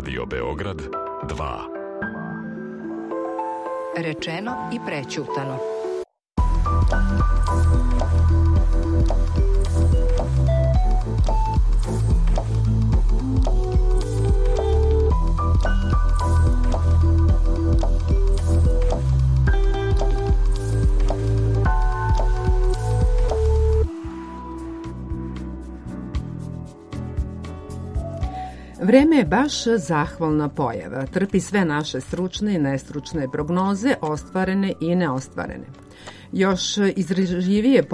Radio Beograd 2. Rečeno i prećutano. Vreme je baš zahvalna pojava, trpi sve naše stručne i nestručne prognoze, ostvarene i neostvarene. Još izražljivije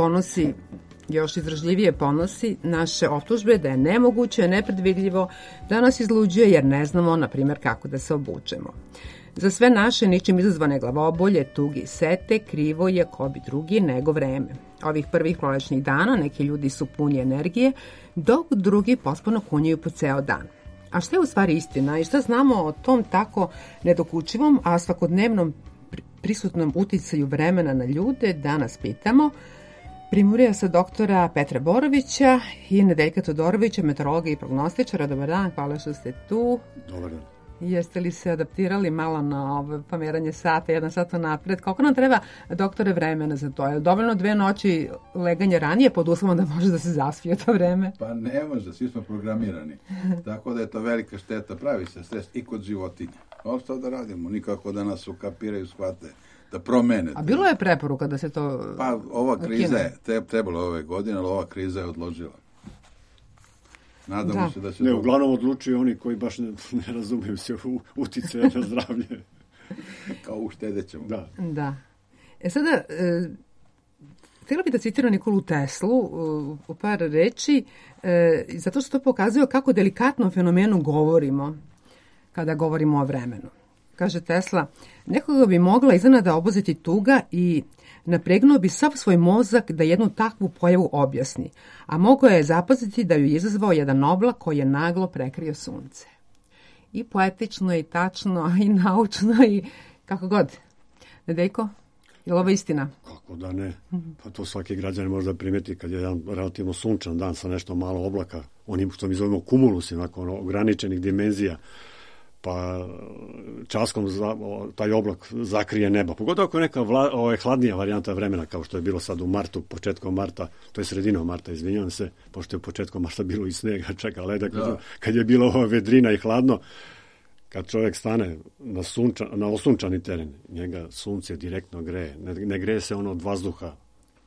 ponosi naše optužbe da je nemoguće, nepredvidljivo, da nas izluđuje jer ne znamo, na primjer, kako da se obučemo. Za sve naše ničim izazvane glavobolje, tugi i sete, krivo je ko bi drugi nego vreme. Ovih prvih prolećnih dana neki ljudi su puni energije, dok drugi pospano kunjaju po ceo dan. A šta je u stvari istina i šta znamo o tom tako nedokučivom, a svakodnevnom prisutnom uticaju vremena na ljude, danas pitamo primurija sa doktora Petra Borovića i Nedeljka Todorovića, meteorologa i prognostičara. Dobar dan, hvala što ste tu. Dobar dan. Jeste li se adaptirali malo na ovo pomeranje sata, 1 sat napred? Koliko nam treba, doktore, vremena za to? Je dovoljno 2 noći leganja ranije pod uslovom da može da se zaspije to vreme? Pa ne može, svi smo programirani. Tako da je to velika šteta, pravi se stres i kod životinja. Ovo što da radimo, nikako da nas ukapiraju, shvate, da promene. A bilo je preporuka da se to Pa ova kriza je trebalo ove godine, ali ova kriza je odložila. Nadamo se da se... Ne, uglavnom odlučuju oni koji baš ne razumiju se u uticaje na zdravlje. Kao uštedećemo. Da. Sada, htjela bih da citiram Nikolu Teslu u par reči, zato što to pokazuje kako delikatno o fenomenu govorimo kada govorimo o vremenu. Kaže Tesla, nekoga bi mogla iznenada obuzeti tuga i napregnuo bi sav svoj mozak da jednu takvu pojavu objasni, a mogao je zapaziti da ju je izazvao jedan oblak koji je naglo prekrio sunce. I poetično, i tačno, i naučno, i kako god. Nedeljko, je li ovo istina? Kako da ne? Pa to svaki građanin može da primeti kad je jedan relativno sunčan dan sa nešto malo oblaka, onim što mi zovemo kumulus, ograničenih dimenzija, pa časkom taj oblak zakrije neba. Pogotovo ako je neka hladnija varijanta vremena, kao što je bilo sad u martu, početkom marta, to je sredinom marta, izvinjavam se, pošto je početkom marta bilo i snega, čeka leda, kad je bila ova vedrina i hladno, kad čovjek stane na osunčani teren, njega sunce direktno greje. Ne greje se ono od vazduha,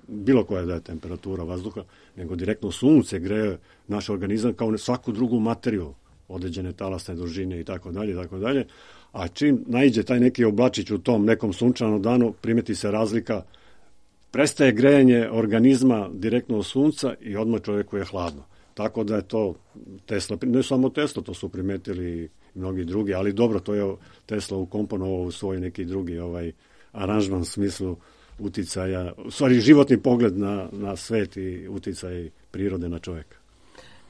bilo koja da je temperatura vazduha, nego direktno sunce greje naš organizam kao svaku drugu materiju, određene talasne dužine i tako dalje, a čim naiđe taj neki oblačić u tom nekom sunčanom danu, primeti se razlika, prestaje grejanje organizma direktno od sunca i odmah čovjeku je hladno. Tako da je to Tesla, ne samo Tesla, to su primetili mnogi drugi, ali dobro, to je Tesla ukomponovao u svoj neki drugi aranžman u smislu uticaja, u stvari životni pogled na svet i uticaj prirode na čovjeka.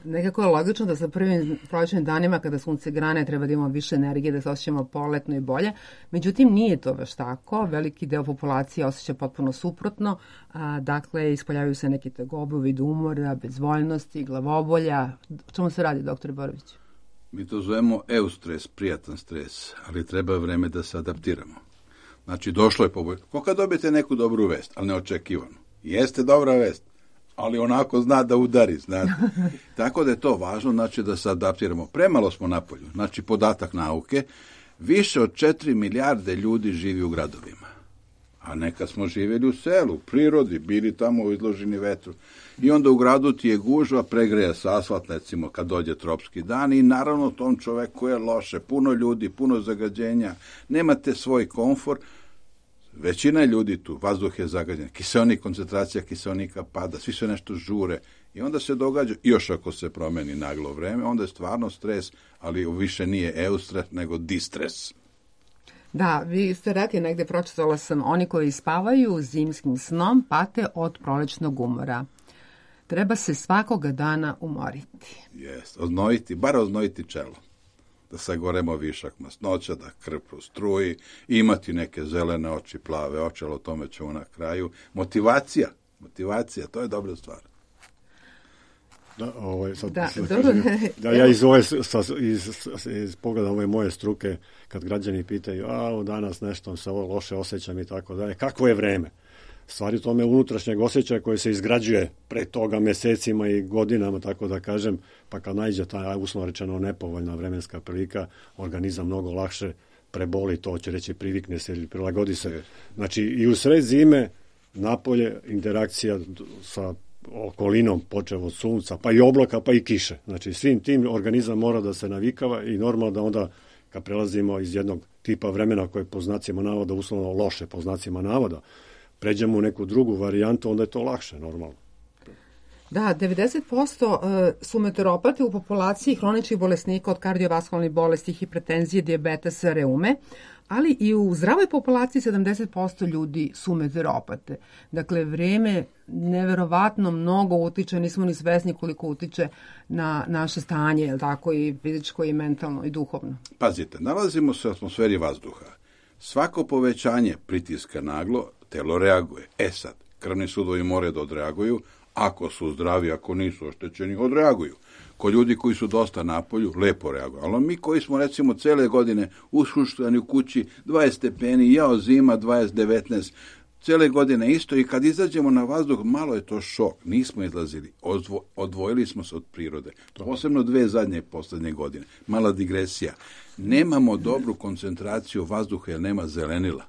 Nekako je logično da sa prvim prolećnim danima kada sunce grane treba da imamo više energije, da se osjećamo poletno i bolje. Međutim, nije to baš tako. Veliki deo populacije osjeća potpuno suprotno. Dakle, ispoljavaju se neke tegobe u vidu umora, bezvoljnosti, glavobolja. O čemu se radi, dr. Borović? Mi to zovemo eustres, prijatan stres, ali treba vreme da se adaptiramo. Znači, došlo je poboljšanje. Ko kad dobijete neku dobru vest, ali neočekivano. Jeste dobra vest, ali onako zna da udari, znate. Tako da je to važno, znači da se adaptiramo. Premalo smo napolju, znači podatak nauke, više od 4 milijarde ljudi živi u gradovima. A nekad smo živjeli u selu, u prirodi, bili tamo izloženi vetru. I onda u gradu ti je gužva, pregreje se asfalt, recimo, kad dođe tropski dan i naravno tom čoveku je loše. Puno ljudi, puno zagađenja, nemate svoj komfor. Većina ljudi tu, vazduh je zagađen, kiseonik, koncentracija kiseonika pada, svi se nešto žure i onda se događa, još ako se promeni naglo vreme, onda je stvarno stres, ali više nije eustres, nego distres. Da, vi ste rekli, negde pročitala sam, oni koji spavaju zimskim snom pate od prolećnog umora. Treba se svakoga dana umoriti. Jest, oznojiti čelo. Da sagoremo višak masnoća, da krv prostruji, imati neke zelene oči, plave oči, ali o tome ćemo na kraju. Motivacija, to je dobra stvar. Ja iz pogleda ove moje struke, kad građani pitaju, danas nešto se ovo loše osjećam i tako dalje, kakvo je vreme? Stvari tome unutrašnjeg osjećaja koje se izgrađuje pre toga mesecima i godinama, tako da kažem, pa kad naiđe ta uslovno rečeno nepovoljna vremenska prilika, organizam mnogo lakše preboli, to će reći privikne se ili prilagodi se. Znači i u sred zime napolje interakcija sa okolinom, počev od sunca, pa i oblaka, pa i kiše. Znači svim tim organizam mora da se navikava i normalno da onda kad prelazimo iz jednog tipa vremena koje po znacima navoda, uslovno loše po znacima navoda, pređemo u neku drugu varijantu, onda je to lakše, normalno. Da, 90% su meteoropate u populaciji hroničnih bolesnika od kardiovaskularnih bolesti, hipertenzije, dijabetesa, reume, ali i u zdravoj populaciji 70% ljudi su meteoropate. Dakle, vreme neverovatno mnogo utiče, nismo ni svesni koliko utiče na naše stanje, je tako, i fizičko, i mentalno, i duhovno. Pazite, nalazimo se u atmosferi vazduha. Svako povećanje pritiska naglo, telo reaguje. Sad, krvni sudovi moraju da odreaguju, ako su zdravi, ako nisu oštećeni, odreaguju. Kod ljudi koji su dosta napolju, lepo reaguju. Ali mi koji smo, recimo, cele godine ushuštani u kući, 20 stepeni, zima, 20-19, cele godine isto, i kad izađemo na vazduh, malo je to šok. Nismo izlazili, odvojili smo se od prirode. Posebno 2 zadnje i poslednje godine. Mala digresija. Nemamo dobru koncentraciju vazduha jer nema zelenila.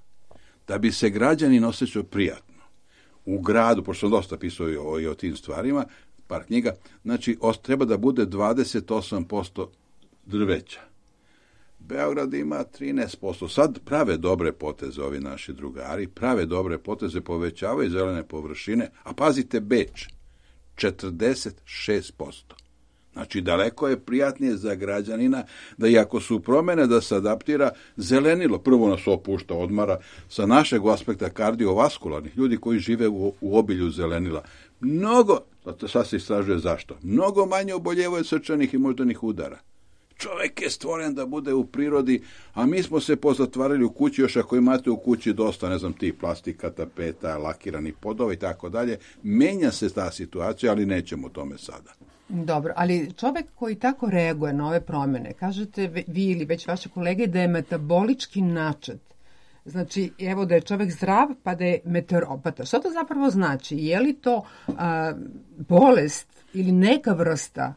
Da bi se građanin osjećao prijatno u gradu, pošto sam dosta pisao i o tim stvarima, par knjiga, znači treba da bude 28% drveća. Beograd ima 13%. Sad prave dobre poteze ovi naši drugari, prave dobre poteze, povećavaju zelene površine, a pazite Beč, 46%. Znači, daleko je prijatnije za građanina da i ako su promene da se adaptira zelenilo. Prvo nas opušta, odmara sa našeg aspekta kardiovaskularnih, ljudi koji žive u obilju zelenila. Mnogo, sad se istražuje zašto, mnogo manje oboljevaju srčanih i moždanih udara. Čovjek je stvoren da bude u prirodi, a mi smo se pozatvarali u kući, još ako imate u kući dosta, ne znam, tih plastika, tapeta, lakiranih podova i tako dalje, menja se ta situacija, ali nećemo o tome sada. Dobro, ali čovjek koji tako reaguje na ove promjene, kažete vi ili već vaše kolege da je metabolički načet. Znači, evo da je čovjek zdrav pa da je meteoropata. Što to zapravo znači? Je li to bolest ili neka vrsta?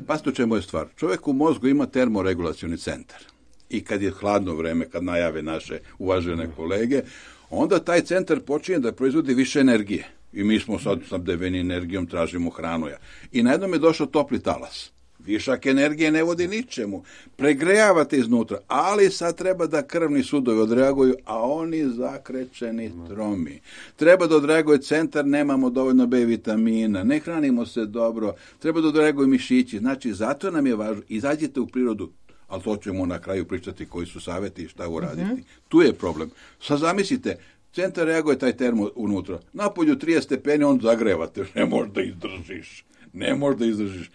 Pazite u čemu je stvar. Čovjek u mozgu ima termoregulacioni centar. I kad je hladno vreme, kad najave naše uvažene kolege, onda taj centar počinje da proizvodi više energije. I mi smo sad snabdeveni energijom, tražimo hranu. I na jednom je došao topli talas. Višak energije ne vodi ničemu. Pregrejavate iznutra, ali sad treba da krvni sudovi odreaguju, a oni zakrećeni tromi. Treba da odreaguje centar, nemamo dovoljno B vitamina, ne hranimo se dobro, treba da odreaguju mišići. Znači, zato nam je važno, izađite u prirodu, ali to ćemo na kraju pričati koji su savjeti i šta uraditi. Tu je problem. Sad zamislite, centar reaguje taj termo unutra. Napolju 30 stepeni, on zagrevate, ne možeš da izdržiš. Ne možeš da izdržiš.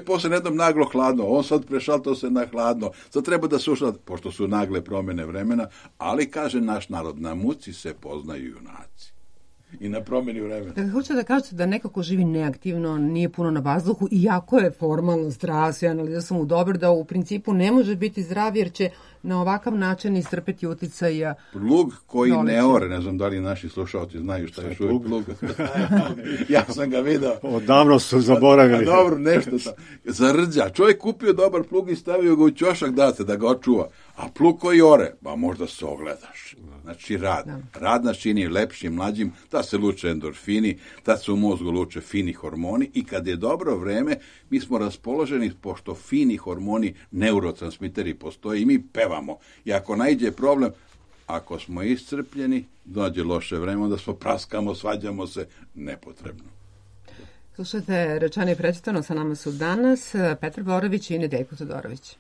Posle jednom naglo hladno, on sad prešaltao se na hladno, sad treba da suša, pošto su nagle promjene vremena, ali kaže naš narod, na muci se poznaju junaci. I na promjeni vremena. Dakle, hoćete da kažete da nekako živi neaktivno, nije puno na vazduhu, iako je formalno zdrav, sve analiza su mu dobre, da u principu ne može biti zdrav jer će na ovakav način istrpeti uticaja. Plug koji ne ore, ne znam da li naši slušalci znaju šta je plug. Ja sam ga vidio. Odavno su zaboravili. Dobro, nešto tam. Zarđa. Čovjek kupio dobar plug i stavio ga u ćošak da ga očuva. A plug koji ore, ba možda se ogledaš. Znači rad. Rad nas čini lepšim, mlađim, da se luče endorfini, da se u mozgu luče fini hormoni i kad je dobro vreme, mi smo raspoloženi, pošto fini hormoni, neurotransmiteri postoje i mi pevamo. I ako naiđe problem, ako smo iscrpljeni, dođe loše vreme, onda smo praskamo, svađamo se, nepotrebno. Slušajte, rečeno i prečitano, sa nama su danas Petar Borović i Nedeljko Todorović.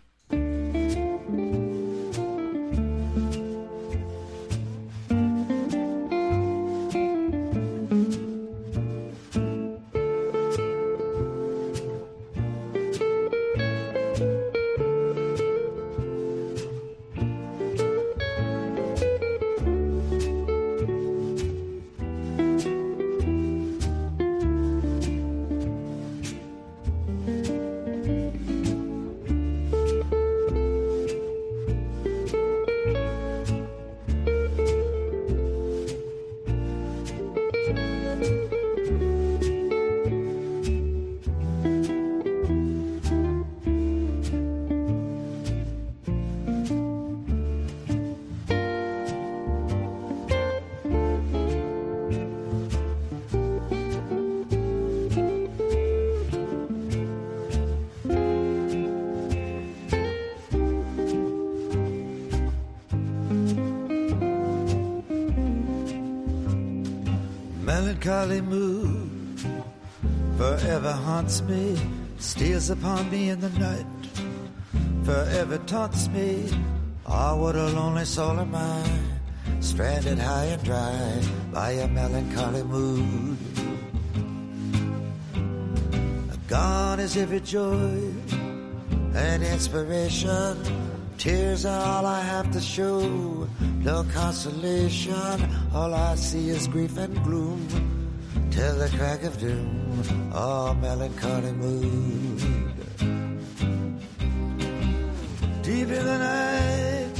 melancholy mood forever haunts me, steals upon me in the night, forever taunts me. Ah, what a lonely soul am I, stranded high and dry by a melancholy mood. Gone is every joy and inspiration. Tears are all I have to show, no consolation. All I see is grief and gloom till the crack of doom. Oh, melancholy mood. Deep in the night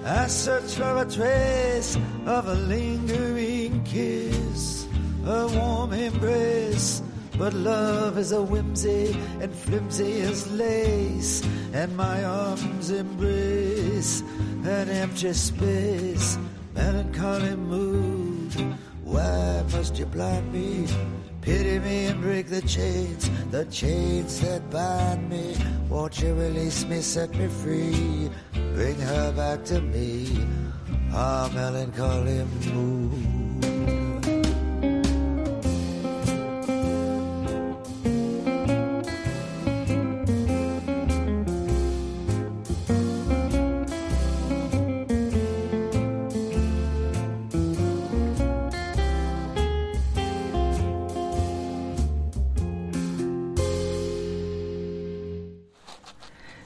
I search for a trace of a lingering kiss, a warm embrace. But love is a whimsy and flimsy as lace, and my arms embrace an empty space. Melancholy mood, why must you blind me? Pity me and break the chains that bind me. Won't you release me, set me free, bring her back to me. Ah, melancholy mood.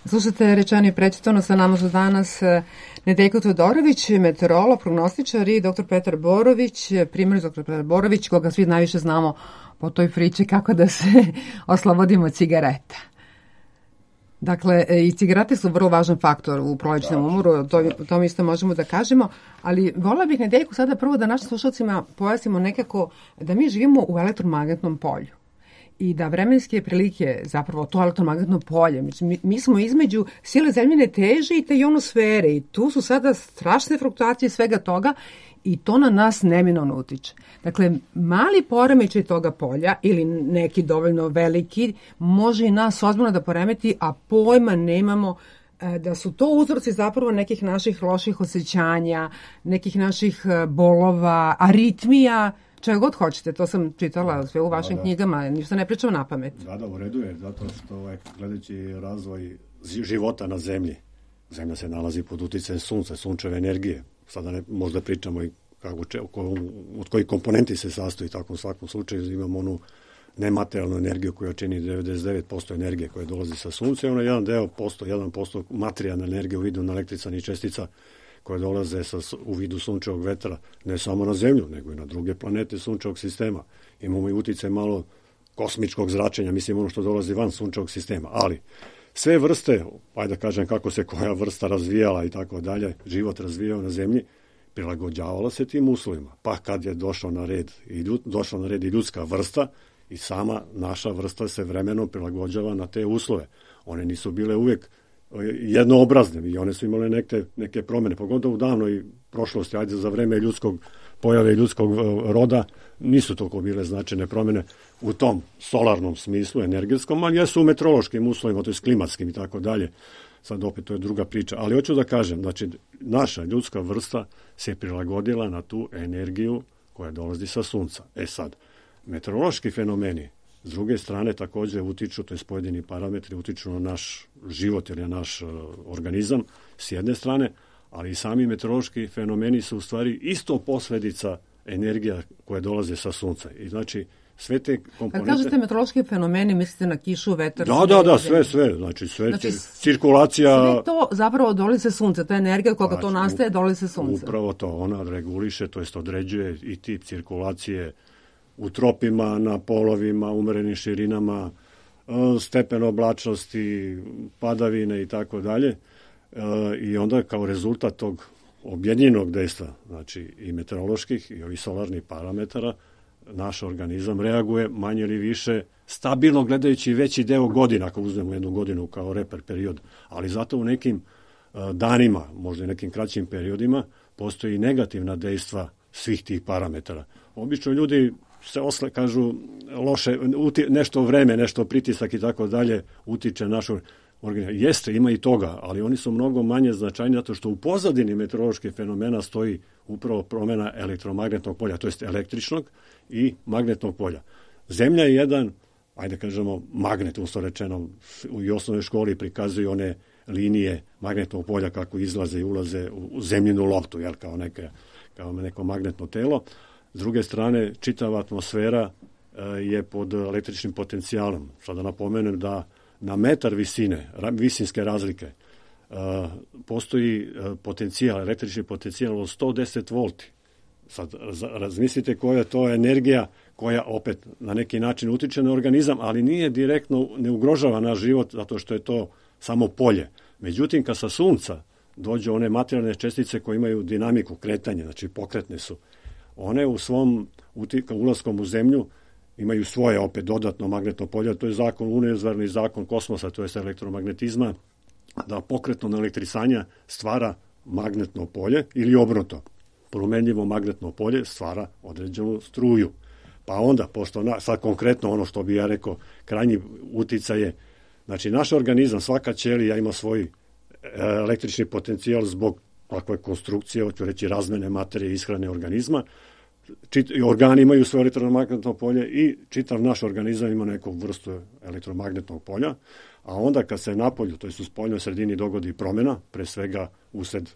Slušate Rečeno i prečitano, sa nama su danas Nedeljko Todorović, meteorolog, prognostičar, i dr. Petar Borović, primarni dr. Petar Borović, koga svi najviše znamo po toj priči kako da se oslobodimo cigareta. Dakle, i cigarete su vrlo važan faktor u prolećnom umoru, o tom isto možemo da kažemo, ali volila bih, Nedeljko, sada prvo da našim slušalcima pojasnimo nekako da mi živimo u elektromagnetnom polju i da vremenske prilike, zapravo to elektromagnetno polje, mi smo između sile zemljine teže i te ionosfere i tu su sada strašne fluktuacije svega toga i to na nas neminovno utiče. Dakle, mali poremećaj toga polja ili neki dovoljno veliki može i nas ozbiljno da poremeti, a pojma nemamo da su to uzroci zapravo nekih naših loših osjećanja, nekih naših bolova, aritmija, čega god hoćete, to sam čitala sve u vašim knjigama, ništa ne pričam na pamet. Da, u redu je, zato što gledajući razvoj života na zemlji, zemlja se nalazi pod uticajem sunca, sunčeve energije. Sada možda pričamo i od kojih komponenti se sastoji, tako u svakom slučaju imamo onu nematerijalnu energiju koja čini 99% energije koja dolazi sa sunca i ono 1% materijalne energije u vidu električnih čestica koje dolaze u vidu sunčevog vetra, ne samo na zemlju, nego i na druge planete sunčevog sistema. Imamo i uticaj malo kosmičkog zračenja, mislim ono što dolazi van sunčevog sistema, ali sve vrste, ajde da kažem kako se koja vrsta razvijala i tako dalje, život razvijao na zemlji, prilagođavala se tim uslovima. Pa kad je došla na red i ljudska vrsta, i sama naša vrsta se vremenom prilagođava na te uslove. One nisu bile uvek jednoobrazne i one su imale neke promene, pogotovo u davnoj prošlosti, ajde za vreme pojave ljudskog roda, nisu toliko bile značajne promene u tom solarnom smislu, energetskom, ali jesu u meteorološkim uslovima, to je klimatskim i tako dalje. Sad opet to je druga priča, ali hoću da kažem, znači naša ljudska vrsta se prilagodila na tu energiju koja dolazi sa sunca. Sad, meteorološki fenomeni s druge strane također utiču, to je pojedini parametri utiču na naš život ili na naš organizam s jedne strane, ali i sami meteorološki fenomeni su u stvari isto posledica energija koje dolaze sa sunca. I znači sve te komponente... Kad kažete meteorološki fenomeni, mislite na kišu, vetar? Da, sve. Znači, cirkulacija... Sve to zapravo dolazi sa sunca, ta energija koga to nastaje dolazi sa sunca. Upravo to, ona reguliše, to jest određuje i tip cirkulacije u tropima, na polovima, umerenim širinama, stepen oblačnosti, padavine i tako dalje. I onda kao rezultat tog objedinjenog dejstva, znači i meteoroloških i ovih solarnih parametara, naš organizam reaguje manje ili više stabilno gledajući veći deo godina, ako uzmemo jednu godinu kao reper period, ali zato u nekim danima, možda i nekim kraćim periodima, postoji negativna dejstva svih tih parametara. Obično ljudi se kažu loše, nešto vreme, nešto pritisak i tako dalje utiče našu, Jeste, ima i toga, ali oni su mnogo manje značajni zato što u pozadini meteoroloških fenomena stoji upravo promjena elektromagnetnog polja, to jest električnog i magnetnog polja. Zemlja je jedan, ajde kažemo, magnet, uslovno rečeno, u osnovnoj školi prikazuju one linije magnetnog polja kako izlaze i ulaze u zemljinu loptu, jel, kao neko magnetno telo. S druge strane, čitava atmosfera je pod električnim potencijalom. Sada napomenem da na metar visine, visinske razlike, postoji potencijal, električni potencijal od 110 volti. Sad razmislite koja je to energija koja opet na neki način utiče na organizam, ali nije direktno, ne ugrožava naš život zato što je to samo polje. Međutim, kad sa sunca dođu one materijalne čestice koje imaju dinamiku kretanja, znači pokretne su, one u svom ulaskom u zemlju imaju svoje opet dodatno magnetno polje, to je univerzalni zakon kosmosa, to je elektromagnetizma, da pokretno elektrisanja stvara magnetno polje ili obrnuto. Promenljivo magnetno polje stvara određenu struju. Pa onda, pošto sad konkretno ono što bi ja rekao, krajnji uticaj je, znači naš organizam, svaka ćelija ima svoj električni potencijal zbog takve konstrukcije, hoću reći razmene materije i ishrane organizma. Organi imaju svoje elektromagnetno polje i čitav naš organizam ima neku vrstu elektromagnetnog polja, a onda kad se napolju, to je u spoljnoj sredini dogodi promjena, pre svega usred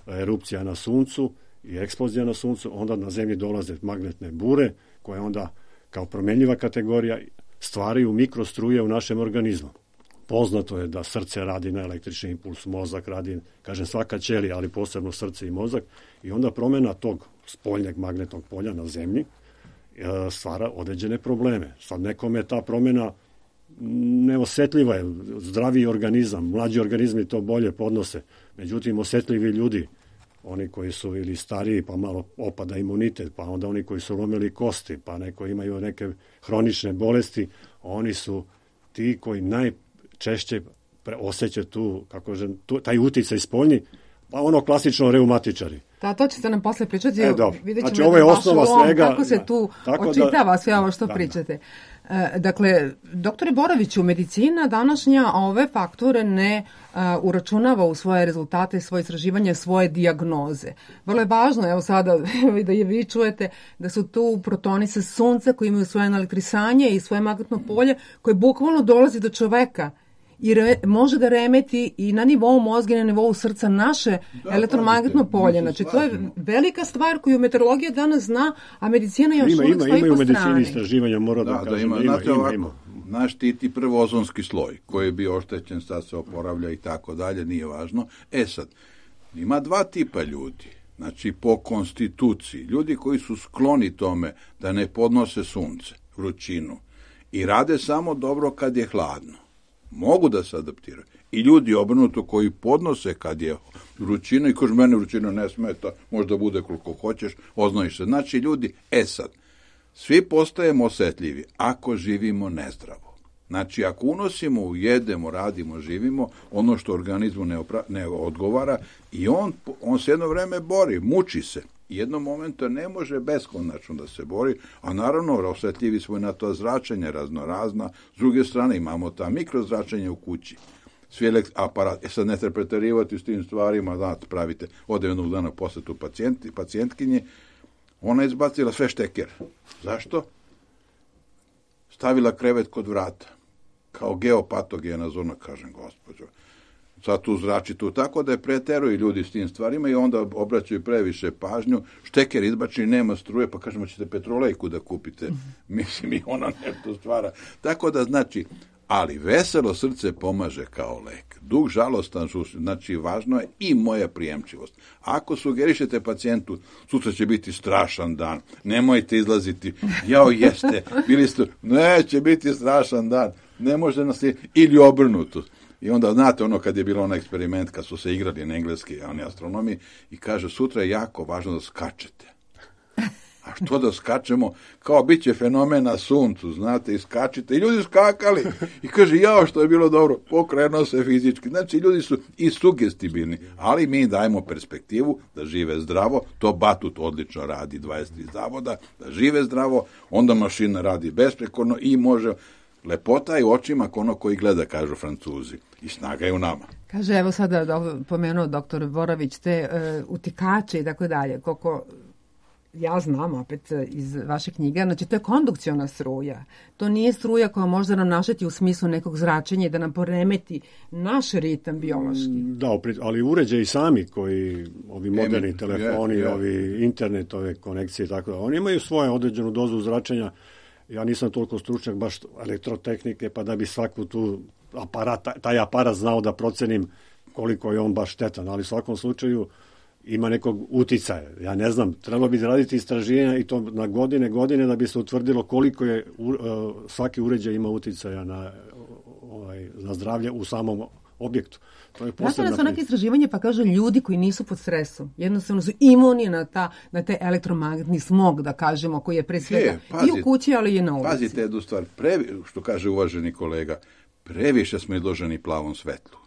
erupcija na suncu i eksplozija na suncu, onda na zemlji dolaze magnetne bure koje onda kao promenljiva kategorija stvaraju mikrostruje u našem organizmu. Poznato je da srce radi na električni impuls, mozak radi, kažem svaka ćelija, ali posebno srce i mozak, i onda promjena tog spoljnjeg magnetnog polja na zemlji stvara određene probleme. Sad nekome ta promjena neosetljiva je, zdraviji organizam, mlađi organizmi to bolje podnose, međutim osetljivi ljudi, oni koji su ili stariji pa malo opada imunitet, pa onda oni koji su lomili kosti, pa neko imaju neke hronične bolesti, oni su ti koji najčešće osjećaju taj uticaj spoljni, pa ono klasično reumatičari. Da, to ćete nam posle pričati. Vidjet ćemo znači, ovo je osnova svega. Kako se tu očitava sve ovo što pričate. Dakle, doktore Boroviću, medicina današnja ove faktore ne uračunava u svoje rezultate, svoje istraživanje, svoje dijagnoze. Vrlo je važno, evo sada da je vi čujete, da su tu protoni sa sunca koji imaju svoje elektrisanje i svoje magnetno polje koje bukvalno dolazi do čoveka i može da remeti i na nivou mozga i na nivou srca naše elektromagnetno polje. Znači, to je velika stvar koju meteorologija danas zna, a medicina još uvijek stoji po strani. Ima u medicini istraživanja, moram da kažem. Ima. Naš štiti prvo ozonski sloj, koji je bio oštećen, sad se oporavlja i tako dalje, nije važno. Sad, ima dva tipa ljudi. Znači, po konstituciji, ljudi koji su skloni tome da ne podnose sunce, vrućinu, i rade samo dobro kad je hladno. Mogu da se adaptiraju. I ljudi obrnuto koji podnose kad je vrućina i kažu mene vrućina ne smeta, možda bude koliko hoćeš, oznojiš se. Znači ljudi, sad, svi postajemo osjetljivi ako živimo nezdravo. Znači ako unosimo, jedemo, radimo, živimo, ono što organizmu ne odgovara i on se jedno vreme bori, muči se. Jednom momentu ne može beskonačno da se bori, a naravno osjetljivi smo na to zračenje raznorazna. S druge strane imamo ta mikrozračenje u kući. Svi aparat, sad ne treba preterivati s tim stvarima, znate, pravite, ode jednog dana posjetu pacijentkinje, ona je izbacila sve šteker. Zašto? Stavila krevet kod vrata. Kao geopatogena zona, kažem, gospođo. Sad tu zrači tu, tako da je preteruju ljudi s tim stvarima i onda obraćaju previše pažnju. Šteker izbačeni, nema struje, pa kažemo ćete petrolejku da kupite. Mislim, i ona nešto stvara. Tako da, znači, ali veselo srce pomaže kao lek. Dug žalostan, znači važno je i moja prijemčivost. Ako sugerišete pacijentu, sutra će biti strašan dan, nemojte izlaziti, jao jeste, bili ste, neće biti strašan dan, ne može nas ili obrnuto. I onda, znate, ono kad je bilo onaj eksperiment, kad su se igrali na engleski, oni astronomi, i kaže, sutra je jako važno da skačete. A što da skačemo? Kao bit će fenomen na suncu, znate, i skačite. I ljudi skakali. I kaže, jao, što je bilo dobro, pokrenuo se fizički. Znači, ljudi su i sugestibilni, ali mi dajemo perspektivu da žive zdravo. To Batut odlično radi, 23 zavoda, da žive zdravo, onda mašina radi besprekorno i može. Lepota je u očima ono koji gleda, kažu Francuzi. I snaga je u nama. Kaže, evo sada pomenuo doktor Borović te utikače i tako dalje, koliko ja znam opet iz vaše knjige, znači to je kondukciona struja. To nije struja koja može nam našeti u smislu nekog zračenja i da nam poremeti naš ritam biološki. Da, ali uređaji sami koji, ovi moderni telefoni, ovi internet, ove konekcije i tako da, oni imaju svoju određenu dozu zračenja. Ja nisam toliko stručnjak baš elektrotehnike, pa da bi svaku tu taj aparat znao da procenim koliko je on baš štetan, ali u svakom slučaju ima nekog uticaja. Ja ne znam, trebalo bi raditi istraživanja i to na godine da bi se utvrdilo koliko je svaki uređaj ima uticaja na zdravlje u samom objektu. Nastavljaju su neke istraživanje pa kaže ljudi koji nisu pod stresom, jednostavno su imuni na taj elektromagnetni smog, da kažemo, koji je pre svega i u kući, ali i na ulici. Pazite jednu stvar, što kaže uvaženi kolega, previše smo izloženi plavom svetlu.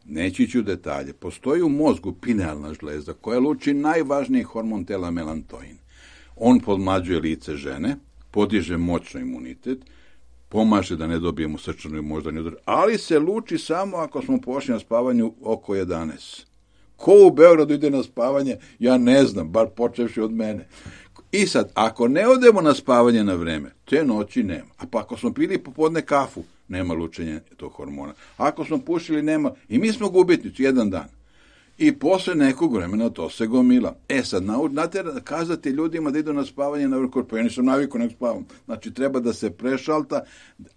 Neći ću detalje. Postoji u mozgu pinealna žlezda koja luči najvažniji hormon tela melatonin. On podmlađuje lice žene, podiže moćno imunitet, pomaže da ne dobijemo srčani i moždani udar, ali se luči samo ako smo pošli na spavanju oko 11. Ko u Beogradu ide na spavanje, ja ne znam, bar počevši od mene. I sad, ako ne odemo na spavanje na vreme, te noći nema. A pa ako smo pili popodne kafu, nema lučenja tog hormona. Ako smo pušili, nema. I mi smo gubitnici jedan dan. I posle nekog vremena to se gomila. Sad, kazati ljudima da idu na spavanje na vrhu, pa ja nisam naviku nek spavam. Znači, treba da se prešalta,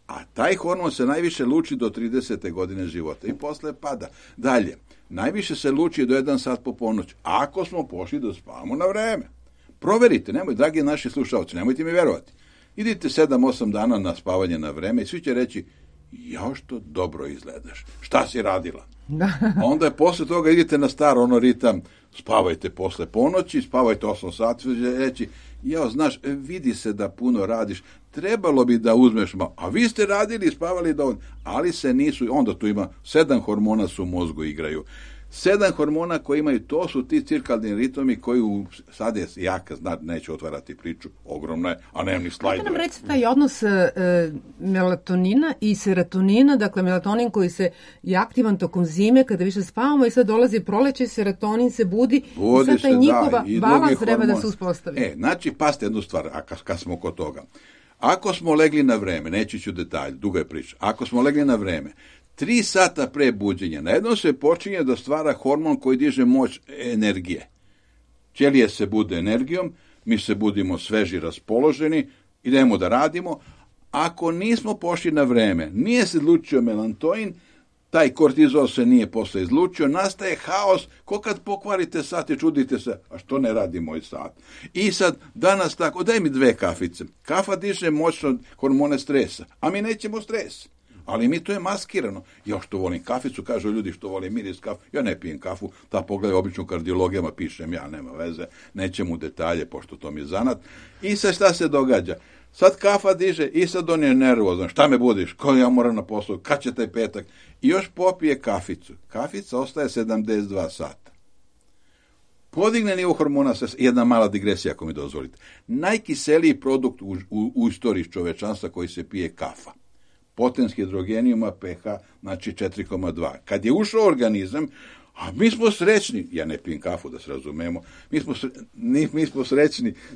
a taj hormon se najviše luči do 30. godine života i posle pada. Dalje, najviše se luči do 1 sat po ponoći, ako smo pošli da spavamo na vreme. Proverite, dragi naši slušalci, nemojte mi verovati. Idite 7-8 dana na spavanje na vreme i svi će reći, jao što dobro izgledaš, šta si radila? Onda je posle toga idite na star ritam, spavajte posle ponoći, spavajte 8 sati, reći, jao, znaš, vidi se da puno radiš, trebalo bi da uzmeš malo, a vi ste radili i spavali dovoljno, ali se nisu, onda tu ima 7 hormona su u mozgu igraju. 7 hormona koji imaju, to su ti cirkadni ritmi koji sad je jaka, neću otvarati priču, ogromna je, a nemam ni slajdove. Kako nam reći taj odnos melatonina i serotonina, dakle melatonin koji je aktivan tokom zime kada više spavamo i sad dolazi proleće, serotonin se budi i sad taj njihova balans treba da se uspostavi. Znači, pazite jednu stvar, a kad smo kod toga. Ako smo legli na vreme, neći ću detalj, duga je priča, ako smo legli na vreme, 3 sata pre buđenja, najednom se počinje da stvara hormon koji diže moć energije. Ćelije se bude energijom, mi se budimo sveži, raspoloženi, idemo da radimo. Ako nismo pošli na vreme, nije se izlučio melatonin, taj kortizol se nije posle izlučio, nastaje haos, ko kad pokvarite sat i čudite se, a što ne radi moj sat? I sad, danas tako, daj mi 2 kafice. Kafa diže moćno hormone stresa, a mi nećemo stres. Ali mi to je maskirano. Ja što volim kaficu, kažu ljudi što vole miris kafu. Ja ne pijem kafu, ta pogledaj obično kardiologijama, pišem ja, nema veze, nećem u detalje, pošto to mi je zanat. I sad šta se događa? Sad kafa diže i sad on je nervozan. Šta me budiš? Ko ja moram na poslu? Kad će taj petak? I još popije kaficu. Kafica ostaje 72 sata. Podigne nivo hormona, jedna mala digresija ako mi dozvolite. Najkiseliji produkt u istoriji čovečanstva koji se pije kafa. Potens hidrogenijuma pH, znači 4,2. Kad je ušao organizam, a mi smo srećni, ja ne pijem kafu da se razumemo, mi smo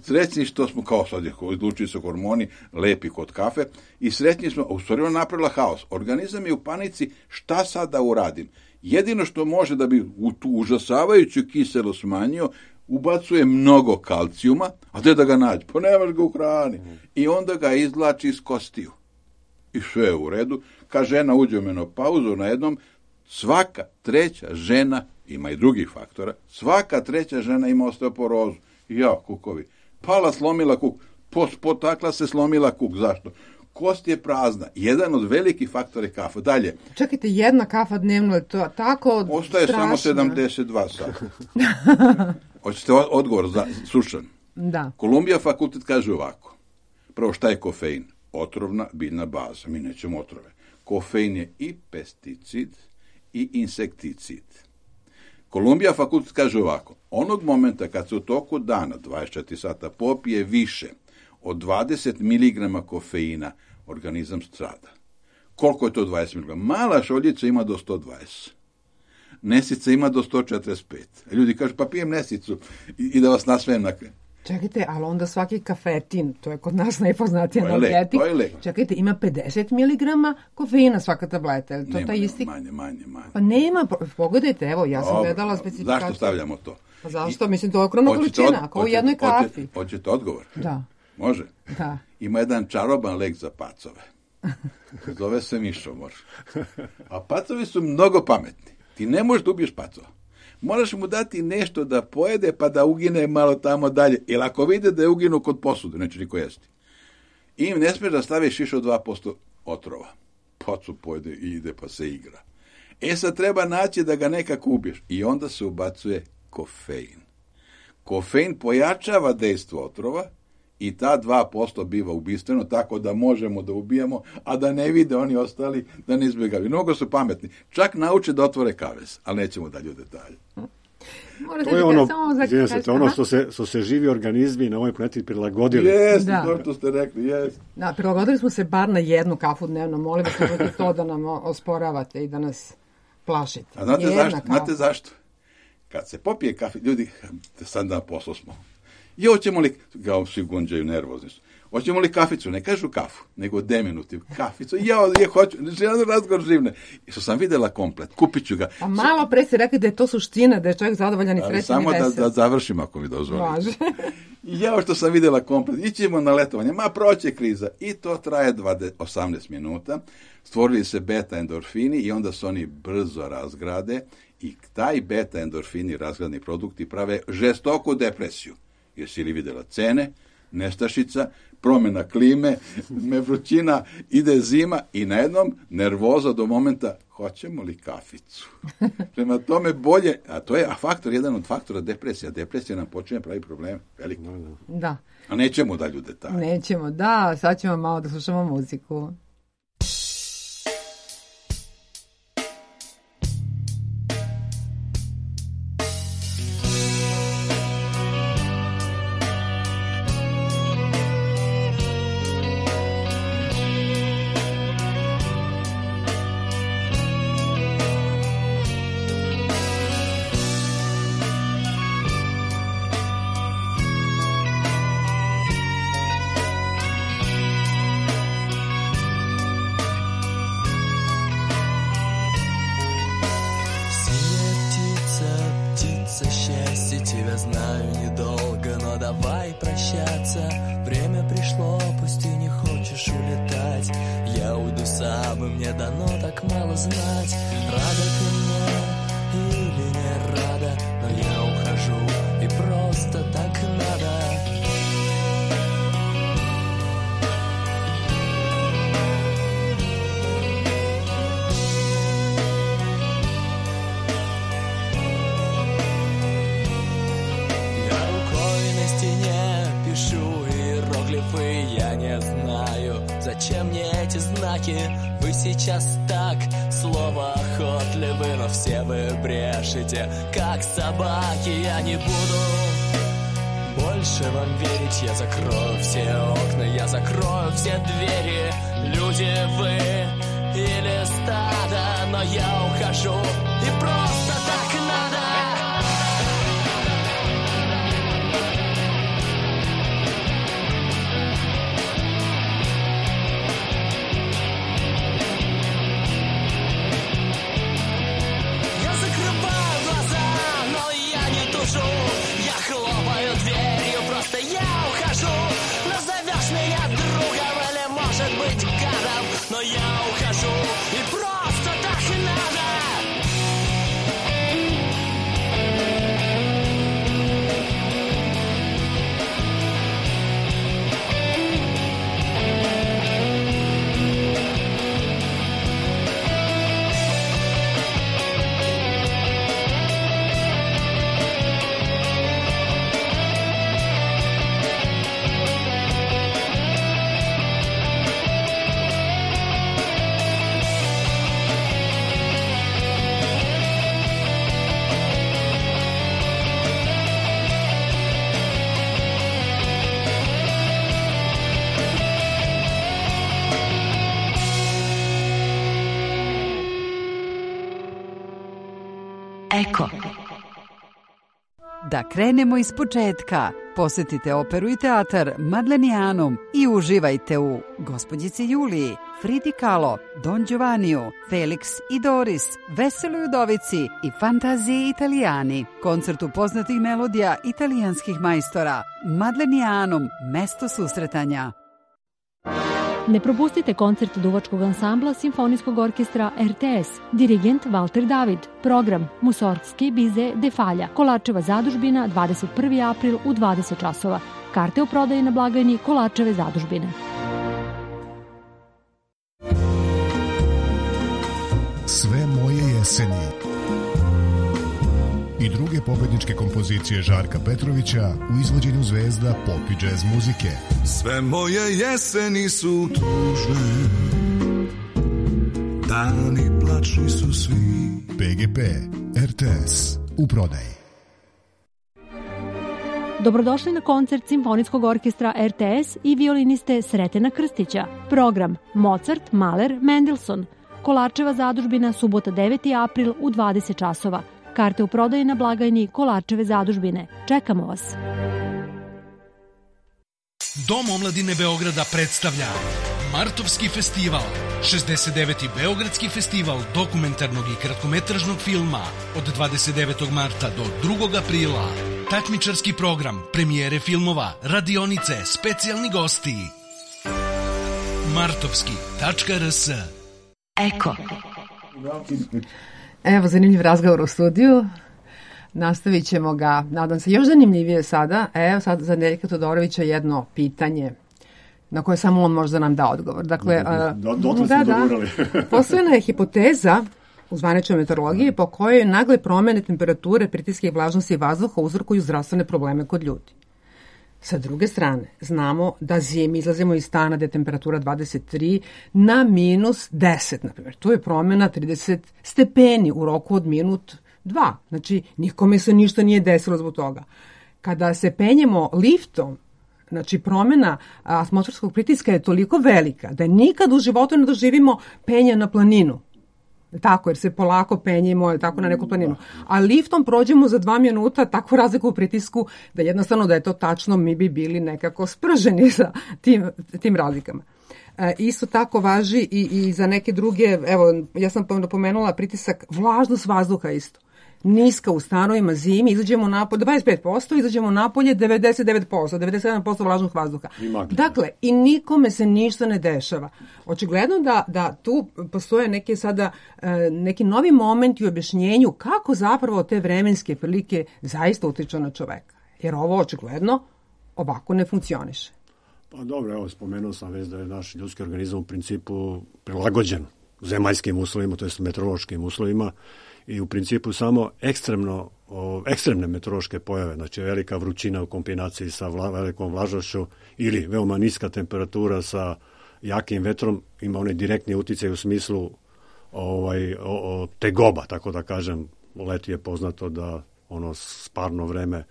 srećni što smo, kao sad izlučili se hormoni, lepi kod kafe, i srećni smo, a u stvari ona napravila haos. Organizam je u panici, šta sad da uradim? Jedino što može da bi u tu užasavajuću kiselo smanjio, ubacuje mnogo kalcijuma, a gde da ga nađe? Pa nemaš ga u hrani. I onda ga izvlači iz kostiju. I sve je u redu. Kad žena uđe u menopauzu, na jednom, svaka 3. žena, ima i drugih faktora, svaka 3. žena ima osteoporozu. Ja, kukovi. Pala, slomila kuk. Potakla se, slomila kuk. Zašto? Kost je prazna. Jedan od velikih faktora je kafa. Dalje. Čekajte, 1 kafa dnevno je to tako ostaje strašno. Samo 72 sata. Hoćete odgovor slušan? Da. Kolumbija fakultet kaže ovako. Prvo, šta je kofein? Otrovna biljna baza. Mi nećemo otrove. Kofein je i pesticid i insekticid. Kolumbija fakultet kaže ovako. Onog momenta kad se u toku dana, 24 sata, popije više od 20 mg kofeina, organizam strada. Koliko je to 20 mg? Mala šoljica ima do 120. Nesica ima do 145. Ljudi kažu, pa pijem nesicu i da vas nasmejem na kraju. Čekajte, ali onda svaki kafetin, to je kod nas najpoznatiji analgetik, čekajte, ima 50 mg kofeina svaka tableta, je li to taj isti? Manje. Pa nema, pogledajte, evo, ja sam gledala specifikaciju. Zašto stavljamo to? Pa zašto? Mislim, to je okromna količina, kao u jednoj kafi. Hoćete odgovor? Da. Može? Da. Ima jedan čaroban lek za pacove. Zove se mišomor. A pacovi su mnogo pametni. Ti ne možeš da ubiješ pacova. Moraš mu dati nešto da pojede pa da ugine malo tamo dalje. Jer ako vide da je uginu kod posude, neće niko jesti. I ne smiješ da staviš više od 2% otrova. Pacu pojede i ide pa se igra. Sad treba naći da ga nekako ubiješ. I onda se ubacuje kofein. Kofein pojačava dejstvo otrova i ta 2% biva ubistveno, tako da možemo da ubijamo, a da ne vide oni ostali, da ne izbjegavaju. Mnogo su pametni. Čak nauče da otvore kavez, ali nećemo dalje u detalje. To je ono što se živi organizmi na ovoj planeti prilagodili. Jeste, to što ste rekli, jeste. Da, prilagodili smo se bar na jednu kafu dnevno. Molim vas, nemojte to da nam osporavate i da nas plašite. A znate zašto? Kad se popije kafe, ljudi, sad na poslu smo. I hoćemo li, kao svi gunđaju, nervozni su, hoćemo li kaficu? Ne kažu kafu, nego deminutiv. Kaficu, hoću, želim razgovor živne. I što sam videla komplet, kupit ću ga. A malo pre ste rekli da je to suština, da je čovjek zadovoljan i srećan i vesel. Samo da završim, ako mi dozvolite. I što sam videla komplet, ićemo na letovanje, proće kriza. I to traje 18 minuta. Stvorili se beta endorfini i onda se oni brzo razgrade i taj beta endorfini, razgradni produkti, prave žestoku depresiju. Jesi li vidjela cene, nestašica, promjena klime, vrućina, ide zima i na jednom nervoza do momenta hoćemo li kaficu. Prema tome bolje, a to je jedan od faktora depresija. Depresija nam počinje pravi problem, veliko. Da. A nećemo dalje u detalje. Nećemo, da, sad ćemo malo da slušamo muziku. Зачем мне эти знаки? Вы сейчас так словоохотливы, но все вы брешете, как собаки. Я не буду больше вам верить. Я закрою все окна, я закрою все двери. Люди вы или стадо, но я ухожу, и просто так надо. Я хлопаю дверью, просто я ухожу. Назовешь меня другом или, может быть, гадом, но я ухожу, и просто так и надо. Da krenemo iz početka. Posetite operu i teatar Madlenijanum i uživajte u Gospođici Juliji, Fridi Kahlo, Don Giovanniju, Felix i Doris, Veseloj udovici i Fantaziji Italijani. Koncertu poznatih melodija italijanskih majstora. Madlenijanum, mesto susretanja. Ne propustite koncert duvačkog ansambla Simfonijskog orkestra RTS, dirigent Valter David, program Musorgski Bize de Falja, Kolačeva zadužbina, 21. april u 20 časova. Karte u prodaji na blagajni Kolačeve zadužbine. Sve moje jeseni i druge pobedničke kompozicije Žarka Petrovića u izvođenju zvezda pop i džez muzike. Sve moje jeseni su tužne, dani plačni su svi. PGP, RTS, u prodaji. Dobrodošli na koncert Simfonijskog orkestra RTS i violiniste Sretena Krstića. Program Mozart, Mahler, Mendelssohn. Kolačeva zadužbina, subota 9. april u 20 časova. Karte u prodaji na blagajni Kolačeve zadužbine. Čekamo vas. Dom omladine Beograda predstavlja Martovski festival, 69. Beogradski festival dokumentarnog i kratkometražnog filma od 29. marta do 2. aprila. Takmičarski program, premijere filmova, radionice, specijalni gosti. Martovski.rs. Eko. Evo, zanimljiv razgovor u studiju. Nastavit ćemo ga, nadam se, još zanimljivije sada. Evo sad za Nedeljka Todorovića jedno pitanje na koje samo on može da nam da odgovor. Dakle, postojana je hipoteza u zvaničnoj meteorologiji po kojoj nagle promene temperature, pritiske i vlažnosti vazduha uzrokuju zdravstvene probleme kod ljudi. Sa druge strane, znamo da zimi izlazimo iz stana gde je temperatura 23 na minus 10, na primjer. To je promjena 30 stepeni u roku od minut 2. Znači, nikome se ništa nije desilo zbog toga. Kada se penjemo liftom, znači promjena atmosferskog pritiska je toliko velika da nikad u životu ne doživimo penje na planinu. Tako, jer se polako penjemo tako na neku planinu. A liftom prođemo za 2 minuta takvu razliku u pritisku da jednostavno da je to tačno mi bi bili nekako sprženi sa tim razlikama. Isto tako važi i za neke druge, evo ja sam napomenula pritisak, vlažnost vazduha isto. Niska u stanovima zimi, izađemo napolje 25%, izađemo napolje 99%, 97% vlažnog vazduha. Dakle, i nikome se ništa ne dešava. Očigledno da tu postoje neke sada neki novi momenti u objašnjenju kako zapravo te vremenske prilike zaista utiču na čoveka. Jer ovo očigledno ovako ne funkcioniše. Pa dobro, evo spomenuo sam već da je naš ljudski organizam u principu prilagođen zemaljskim uslovima, to jest meteorološkim uslovima, i u principu samo ekstremne meteorološke pojave, znači velika vrućina u kombinaciji sa velikom vlažnošću ili veoma niska temperatura sa jakim vetrom ima onaj direktni uticaj u smislu tegoba, tako da kažem. U leti je poznato da ono sparno vreme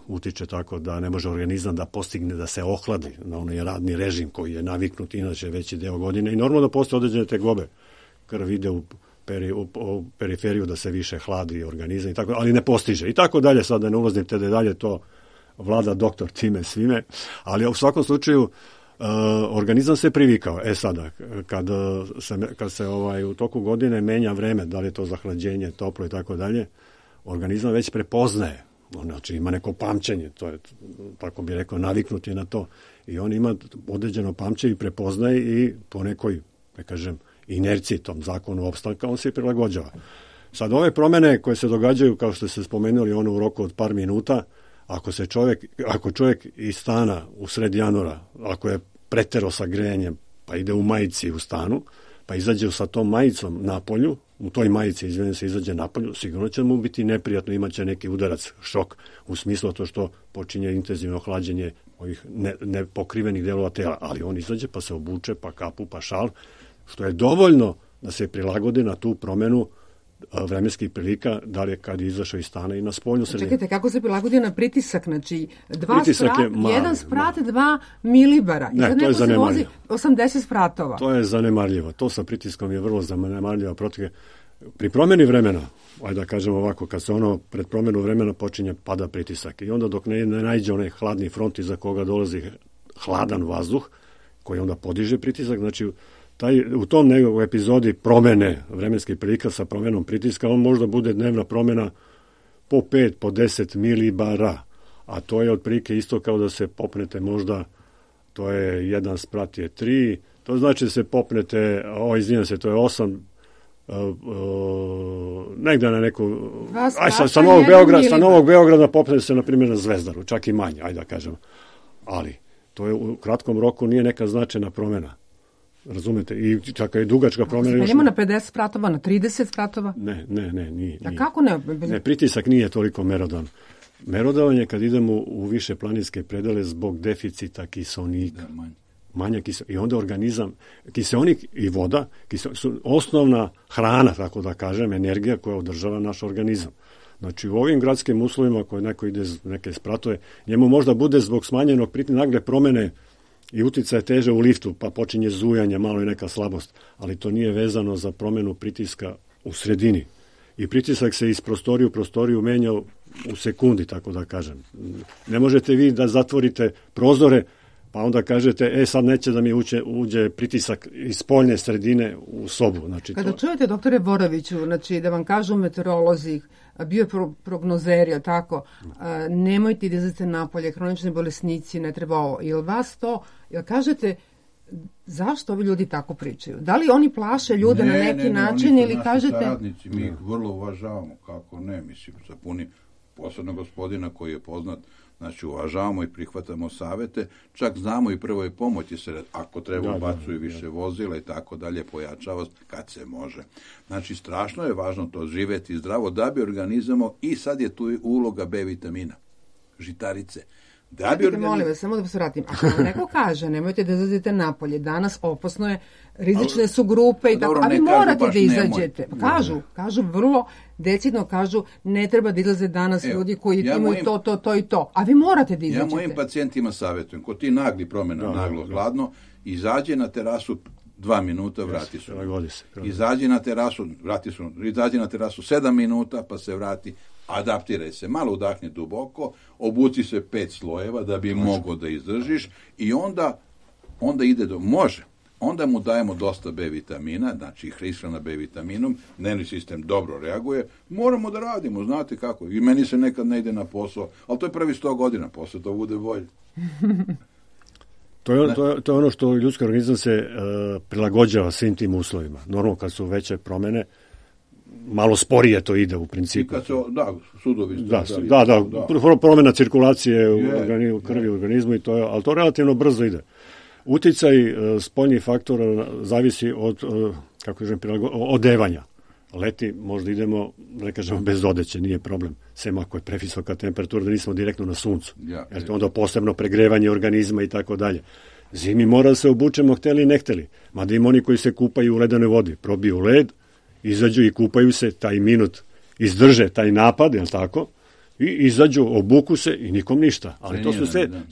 utiče tako da ne može organizam da postigne da se ohladi na onaj radni režim koji je naviknut inače veći deo godine i normalno da postoje određene tegobe. Krv ide u periferiju da se više hladi organizam i tako, ali ne postiže i tako dalje, sad da ne ulazim te dalje, to vlada doktor time svime, ali u svakom slučaju organizam se privikao. Sada, kad se u toku godine menja vreme, da li je to zahlađenje, toplo i tako dalje, organizam već prepoznaje, znači ima neko pamćenje, to je, tako bi rekao, naviknut je na to i on ima određeno pamćenje i prepoznaje i po nekoj, ne kažem, inerciji, tom zakonu opstanka, on se prilagođava. Sad, ove promene koje se događaju, kao što ste spomenuli, ono u roku od par minuta, ako čovjek iz stana u sred januara, ako je preterao sa grejanjem, pa ide u majici u stanu, pa izađe sa tom majicom napolju, u toj majici, izađe napolju, sigurno će mu biti neprijatno, imaće neki udarac, šok, u smislu to što počinje intenzivno hlađenje ovih nepokrivenih delova tela, ali on izađe pa se obuče, pa kapu, pa šal, što je dovoljno da se prilagodi na tu promenu vremenskih prilika, da li je kad je izašao iz stana i na spoljnu sredinu. Čekajte, kako se prilagodio na pritisak? Znači, 1 sprat, 2 milibara. Ne, to je zanemarljivo. 80 spratova. To je zanemarljivo. To sa pritiskom je vrlo zanemarljivo. Pri promjeni vremena, ajde da kažemo ovako, kad se ono pred promjenu vremena počinje pada pritisak i onda dok ne nađe onaj hladni front iza koga dolazi hladan vazduh, koji onda podiže pritisak, znači u tom nekog epizodi promjene vremenskih prilika sa promjenom pritiska, on možda bude dnevna promjena po 5, po 10 milibara, a to je otprilike isto kao da se popnete možda, to je 1 sprat je 3, to znači da se popnete, izvinjam se, to je 8, negde na neku, sa Novog Beograda popnete se, na primjer, na Zvezdaru, čak i manje, ajde da kažemo, ali to je u kratkom roku nije neka značajna promjena. Razumete? I čak i dugačka promjena. Idemo na 50 spratova, na 30 spratova? Ne, nije. A kako ne? Ne, pritisak nije toliko merodan. Merodavan je kad idemo u više planinske predele zbog deficita kiseonika. Manja kiseonika. I onda organizam, kiseonik i voda su osnovna hrana, tako da kažem, energija koja održava naš organizam. Znači u ovim gradskim uslovima koje neko ide neke spratove, njemu možda bude zbog smanjenog pritiska nagle promene i utjecaj teže u liftu, pa počinje zujanje, malo i neka slabost, ali to nije vezano za promjenu pritiska u sredini. I pritisak se iz prostorije u prostoriju menja u sekundi, tako da kažem. Ne možete vi da zatvorite prozore, pa onda kažete, sad neće da mi uđe pritisak iz spoljne sredine u sobu. Znači, kada čujete, doktore Boroviću, znači da vam kažu meteorolozi, bioprognozeri, tako, nemojte da izlazite napolje, hronični bolesnici, ne treba ovo. Jel vas to, jel kažete, zašto ovi ljudi tako pričaju? Da li oni plaše ljude na neki način ili kažete... Saradnici, mi vrlo uvažavamo, kako ne, mislim, sa punim posebno gospodina koji je poznat, znači uvažavamo i prihvatamo savete, čak znamo i prvoj pomoći se, ako treba ubacuju više vozila i tako dalje, pojačava kad se može. Znači strašno je važno to živeti zdravo da bi organizamo, i sad je tu uloga B vitamina, žitarice. Molim vas, samo da se vratim. Ako vam neko kaže, nemojte da izlazite napolje, danas opasno je, rizične su grupe i tako, a vi morate da izađete. Kažu vrlo decidno, kažu ne treba da izlaze danas ljudi koji imaju to i to, a vi morate da izađete. Ja mojim pacijentima savjetujem, kod ti nagli promjena, naglo hladno, izađe na terasu 2 minuta, vrati se. Izađe na terasu, izađe na terasu 7 minuta, pa se vrati. Adaptiraj se, malo udahni duboko, obuci se 5 slojeva da bi mogao da izdržiš i onda ide može. Onda mu dajemo dosta B vitamina, znači ishrana B vitaminom, dnevni sistem dobro reaguje, moramo da radimo, znate kako, i meni se nekad ne ide na posao, ali to je prvi 100 godina, posle to bude bolje. To je ono što ljudski organizam se prilagođava svim tim uslovima. Normalno kad su veće promjene, malo sporije to ide u principu. I kad se, sudovi. Promjena cirkulacije u krvi, u organizmu, ali to relativno brzo ide. Uticaj spoljnih faktora zavisi od, odevanja. Leti možda idemo, ne kažemo bez odeće, nije problem. Sem ako je previsoka temperatura, da nismo direktno na suncu. Jer to onda posebno pregrevanje organizma i tako dalje. Zimi mora da se obučemo, hteli i ne hteli. Mada ima oni koji se kupaju u ledenoj vodi. Probiju led, izađu i kupaju se, taj minut izdrže taj napad, jel tako? I izađu, obuku se i nikom ništa. Ali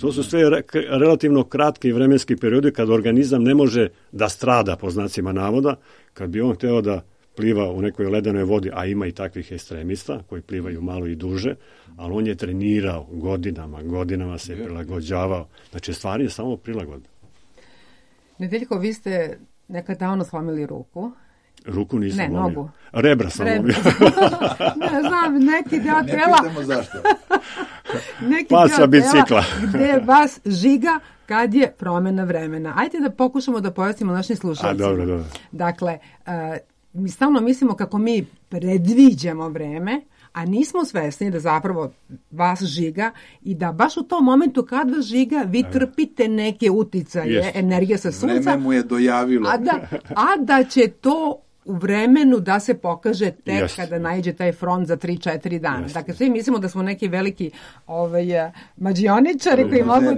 to su sve relativno kratki vremenski periodi kad organizam ne može da strada, po znacima navoda, kad bi on hteo da pliva u nekoj ledenoj vodi, a ima i takvih ekstremista koji plivaju malo i duže, ali on je trenirao godinama se prilagođavao. Znači, stvari je samo prilagodba. Nedeljko, vi ste nekad davno slomili ruku. Ruku nisam lomio. Nogu. Rebra sam lomio. Ne znam, neki deo tela. Ne pitamo zašto. Paca bicikla. Gde vas žiga kad je promjena vremena. Ajde da pokušamo da pojasnimo našim slušalcima. Dobro. Dakle, mi stalno mislimo kako mi predviđamo vreme, a nismo svesni da zapravo vas žiga i da baš u tom momentu kad vas žiga vi trpite neke uticaje, energija sa sunca. Vreme mu je dojavilo. A da će to u vremenu da se pokaže tek kada naiđe taj front za 3-4 dana. Dakle, svi mislimo da smo neki veliki mađioničari koji mogu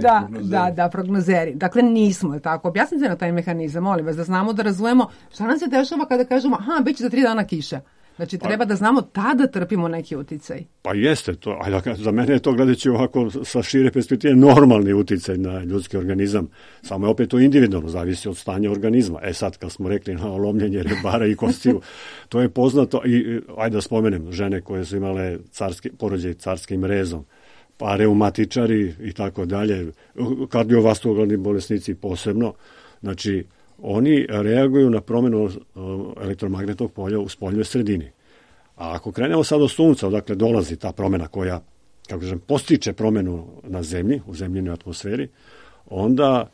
da prognozeri. Dakle, nismo, tako. Objasnite na taj mehanizam, molim vas, da znamo, da razumemo šta nam se dešava kada kažemo, bit će za 3 dana kiša. Znači, treba da znamo tada trpimo neki uticaj. Pa jeste to, ali za mene je to, gledajući ovako sa šire perspektive, normalni uticaj na ljudski organizam. Samo je opet to individualno, zavisi od stanja organizma. Sad, kad smo rekli na lomljenje rebara i kostiju, to je poznato. I ajde da spomenem, žene koje su imale porođaj carskim rezom, pa reumatičari i tako dalje, kardiovaskularni bolesnici posebno. Znači, oni reaguju na promjenu elektromagnetnog polja u spoljnoj sredini. A ako krenemo sad od sunca, odakle dolazi ta promjena koja, kako kažem, postiče promjenu na zemlji, u zemljinoj atmosferi, onda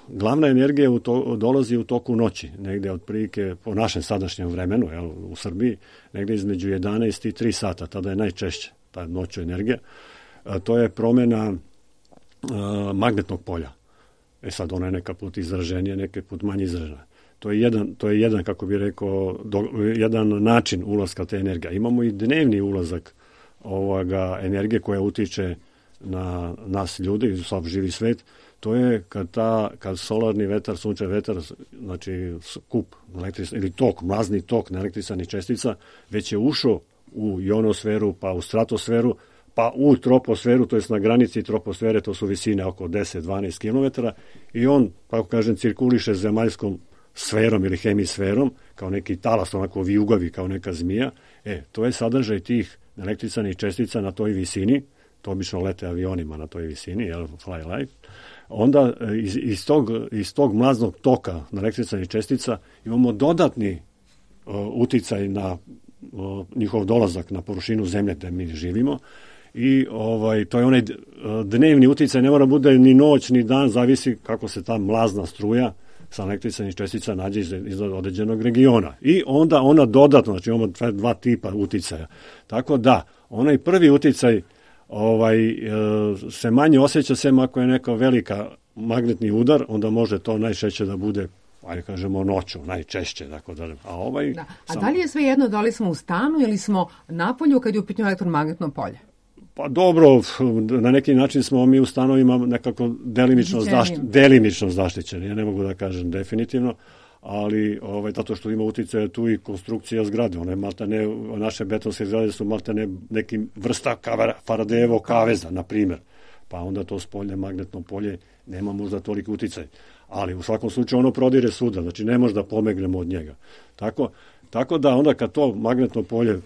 glavna energija dolazi u toku noći, negde otprilike po našem sadašnjem vremenu, u Srbiji, negde između 11 i 3 sata, tada je najčešće ta noću energija. To je promjena magnetnog polja. Sad, ona je neka put izraženija, neka put manje izražena. To je jedan, kako bih rekao, jedan način ulaska te energije. Imamo i dnevni ulazak energije koja utiče na nas ljudi i sav živi svet. To je kad solarni vetar, sunčev vetar, znači kup ili tok, mrazni tok neelektrisanih čestica, već je ušao u ionosferu, pa u stratosferu, pa u troposferu, to je na granici troposfere, to su visine oko 10-12 km, i on, tako kažem, cirkuliše zemaljskom sferom ili hemisferom, kao neki talas, onako vijugavi, kao neka zmija. To je sadržaj tih električnih čestica na toj visini, to obično lete avionima na toj visini, fly light. Onda iz tog mlaznog toka na električnih čestica imamo dodatni uticaj na njihov dolazak na površinu zemlje gde mi živimo. I to je onaj dnevni uticaj, ne mora bude ni noć ni dan, zavisi kako se ta mlazna struja sa električnih čestica nađe iz određenog regiona. I onda ona dodatno, znači imamo dva tipa uticaja. Tako da, onaj prvi uticaj se manje osjeća, sem ako je neka velika magnetni udar, onda može to najčešće da bude, ajde kažemo, noću, najčešće. Tako da, A da li je sve jedno, da li smo u stanu ili smo napolju kad je u pitanju elektromagnetno polje? Pa dobro, na neki način smo mi u stanovima nekako delimično zaštićeni. Ja ne mogu da kažem definitivno, ali zato što ima utjecaja tu i konstrukcija zgrade. Naše betonske zgrade su maltene nekim vrsta Faradejevog kaveza, na primjer. Pa onda to spoljne magnetno polje nema možda toliko utjecaj. Ali u svakom slučaju ono prodire svuda, znači ne možda pomegnemo od njega. Tako da onda kad to magnetno polje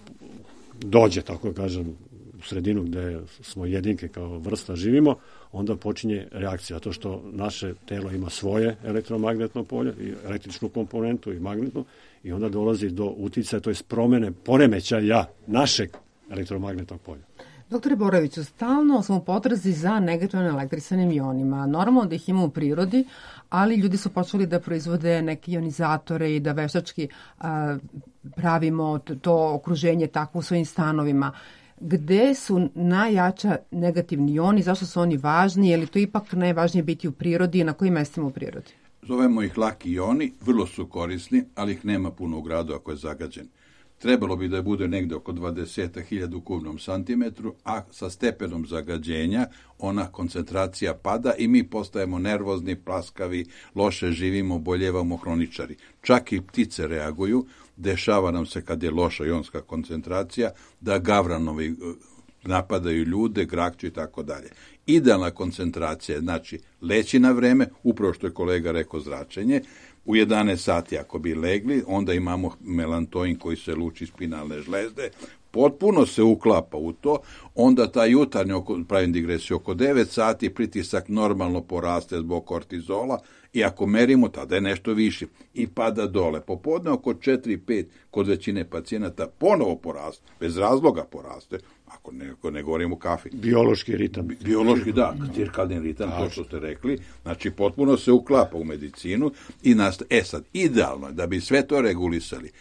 dođe, tako kažem, u sredinu gde smo jedinke kao vrsta živimo, onda počinje reakcija, zato što naše telo ima svoje elektromagnetno polje, i električnu komponentu i magnetnu, i onda dolazi do uticaja, to je poremećaja našeg elektromagnetnog polja. Doktore Boroviću, stalno smo u potrazi za negativno elektrisanim ionima. Normalno da ih ima u prirodi, ali ljudi su počeli da proizvode neke ionizatore i da veštački pravimo to okruženje takvo u svojim stanovima. Gde su najjača negativni ioni, zašto su oni važni, je li to ipak najvažnije biti u prirodi i na kojim mestima u prirodi? Zovemo ih laki ioni, vrlo su korisni, ali ih nema puno u gradu ako je zagađen. Trebalo bi da bude negde oko 20.000 u kubnom santimetru, a sa stepenom zagađenja ona koncentracija pada i mi postajemo nervozni, plaskavi, loše živimo, boljevamo, hroničari. Čak i ptice reaguju, dešava nam se kad je loša ionska koncentracija da gavranovi napadaju ljude, grakću i tako dalje. Idealna koncentracija, znači leći na vreme, upravo što je kolega rekao, zračenje. U 11 sati ako bi legli, onda imamo melantoin koji se luči iz spinalne žlezde, potpuno se uklapa u to, onda ta jutarnja, pravim digresiju, oko 9 sati pritisak normalno poraste zbog kortizola, i ako merimo, tada je nešto više i pada dole. Popodne oko 4-5 kod većine pacijenata ponovo poraste, bez razloga poraste, ako ne govorimo o kafi. Biološki ritam. Biološki, da, cirkadni ritam, to što ste rekli, znači potpuno se uklapa u medicinu i sad, idealno je da bi sve to regulisali,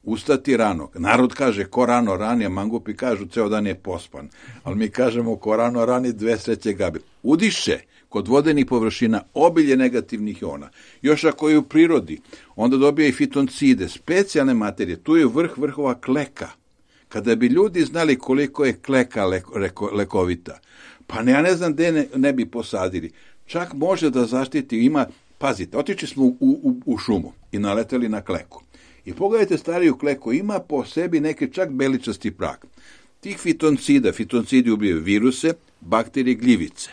ustati rano. Narod kaže, ko rano rani, a mangupi kažu, ceo dan je pospan. Ali mi kažemo, ko rano rani, dve sreće gabi. Udiše kod vodenih površina obilje negativnih iona. Još ako je u prirodi, onda dobije i fitoncide, specijalne materije. Tu je vrh vrhova kleka. Kada bi ljudi znali koliko je kleka lekovita, pa ja ne znam gde ne bi posadili. Čak može da zaštiti, pazite, otišli smo u šumu i naleteli na kleku. I pogledajte stariju kleku, ima po sebi neki čak beličasti prag. Tih fitoncidi ubijaju viruse, bakterije, gljivice.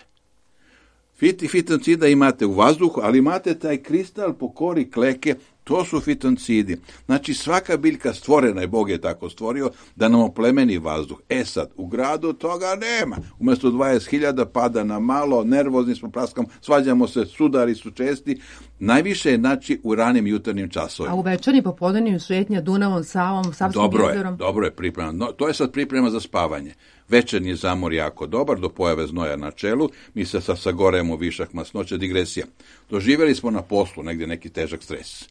Fitoncida imate u vazduhu, ali imate taj kristal po kori kleke, to su fitoncidi. Znači svaka biljka stvorena je, Bog je tako stvorio, da nam oplemeni vazduh. Sad, u gradu toga nema. Umjesto 20.000 pada na malo, nervozni smo, praskamo, svađamo se, sudari su česti. Najviše je, znači, u ranim jutarnjim časovima. A u večernjim popodnevnim šetnja Dunavom, Savom, Savskim jezerom? Dobro je priprema. No, to je sad priprema za spavanje. Večernji zamor jako dobar, do pojave znoja na čelu, mi se sagoremo višak masnoće, digresija. Doživjeli smo na poslu negdje neki težak stres.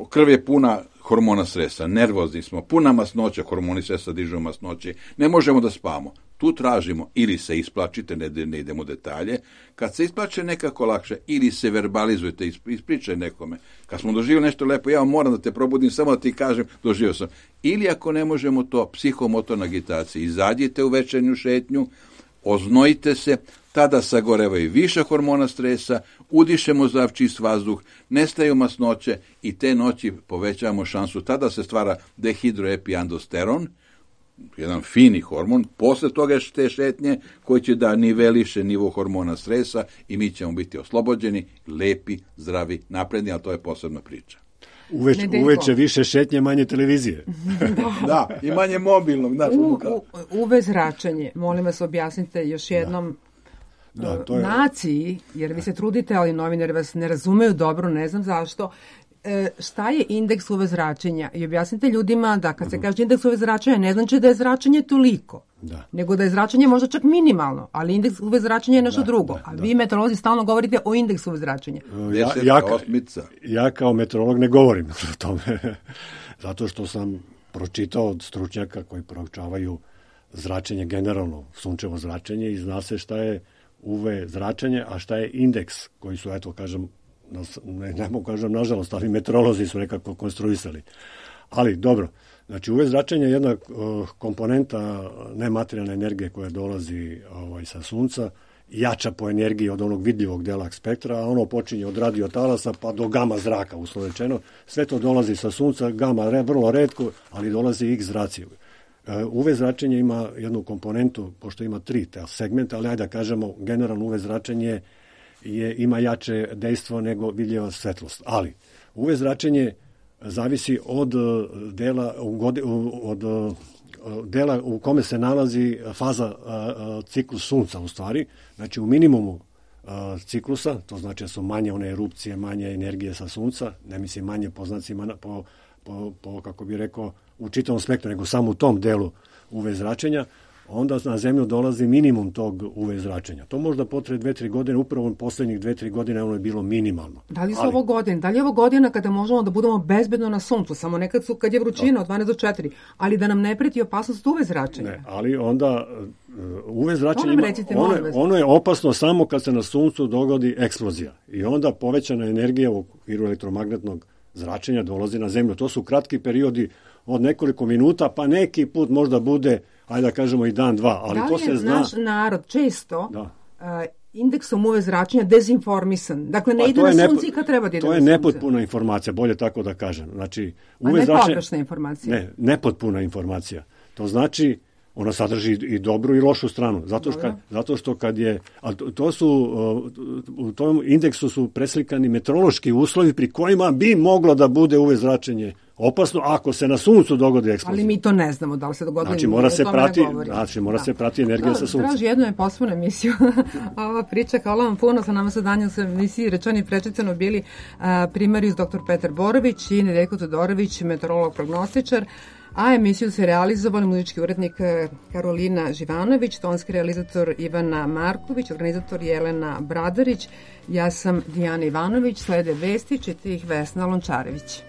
Krv je puna hormona stresa, nervozni smo, puna masnoća, hormoni stresa dižu masnoće, ne možemo da spavamo. Tu tražimo ili se isplačite, ne idemo u detalje, kad se isplače nekako lakše, ili se verbalizujete, ispričaj nekome. Kad smo doživjeli nešto lepo, ja moram da te probudim, samo da ti kažem, doživio sam. Ili ako ne možemo to, psihomotorna agitacija, izađite u večernju šetnju, oznojite se, tada sagorevaju više hormona stresa, udišemo zdrav čist vazduh, nestaju masnoće i te noći povećavamo šansu. Tada se stvara dehidroepiandosteron, jedan fini hormon, posle toga te šetnje koji će da niveliše nivo hormona stresa i mi ćemo biti oslobođeni, lepi, zdravi, napredni, ali to je posebna priča. Uveče više šetnje, manje televizije. Da, i manje mobilnog. UV zračenje, molim vas objasnite još jednom naciji, jer vi se trudite, ali novinari vas ne razumeju dobro, ne znam zašto. Šta je indeks UV zračenja? I objasnite ljudima da kad se kaže indeks UV zračenja, ne znači da je zračenje toliko, nego da je zračenje možda čak minimalno, ali indeks UV zračenja je nešto drugo. A vi meteorolozi stalno govorite o indeksu UV zračenja. Ja kao meteorolog ne govorim o tome, zato što sam pročitao od stručnjaka koji proučavaju zračenje generalno, sunčevo zračenje, i zna se šta je UV zračenje, a šta je indeks koji su, eto kažem, ne mogu kažem nažalost, ali meteorolozi su nekako konstruisali. Ali dobro, znači UV zračenje je jedna komponenta nematerijalne energije koja dolazi sa sunca, jača po energiji od onog vidljivog dela spektra, a ono počinje od radiotalasa pa do gama zraka, uslovno rečeno. Sve to dolazi sa sunca, gama vrlo retko, ali dolazi i X zraci. UV zračenje ima jednu komponentu, pošto ima 3 segmenta, ali ajde da kažemo, generalno UV zračenje ima jače dejstvo nego vidljiva svetlost. Ali UV zračenje zavisi od dela u kome se nalazi faza ciklus sunca u stvari. Znači u minimumu ciklusa, to znači da su manje one erupcije, manje energije sa sunca, ne mislim manje po znacima, po kako bi rekao, u čitavom spektru, nego samo u tom delu UV zračenja, onda na zemlju dolazi minimum tog UV zračenja. To možda potraje 2-3 godine, upravo poslednjih 2-3 godine ono je bilo minimalno. Da li su ovo godine? Da li je ovo godina kada možemo da budemo bezbedno na suncu? Samo nekad kad je vrućina od 12 do 4, ali da nam ne preti opasnost UV zračenja. Ne, ali onda UV zračenje ono je opasno samo kad se na suncu dogodi eksplozija. I onda povećana energija u okviru elektromagnetnog zračenja dolazi na zemlju. To su kratki periodi od nekoliko minuta, pa neki put možda bude, ajde da kažemo, i dan, dva. Ali to se zna. Naš narod često indeksom UV zračenja dezinformisan? Dakle, ne ide na sunce kad treba da ide na sunce. To je nepotpuna informacija, bolje tako da kažem. Znači, UV ne pogrešna informacija? Ne, nepotpuna informacija. To znači, ona sadrži i dobru i lošu stranu. Zato što kad je... U tom indeksu su preslikani meteorološki uslovi pri kojima bi moglo da bude UV zračenje opasno ako se na suncu dogodi eksplozija. Ali mi to ne znamo da li se dogodilo. Znači mora se prati energija sa sunca. Traži jednu je posebnu emisiju. Ova priča, hvala vam puno, sa nama sa danjem se emisiji rečeni prečicano bili primarius dr. Petar Borović i Nedeljko Todorović, meteorolog prognostičar, a emisiju se realizovali muzički urednik Karolina Živanović, tonski realizator Ivana Marković, organizator Jelena Bradarić, ja sam Dijana Ivanović, slede vesti, čita ih Vesna Lončarević.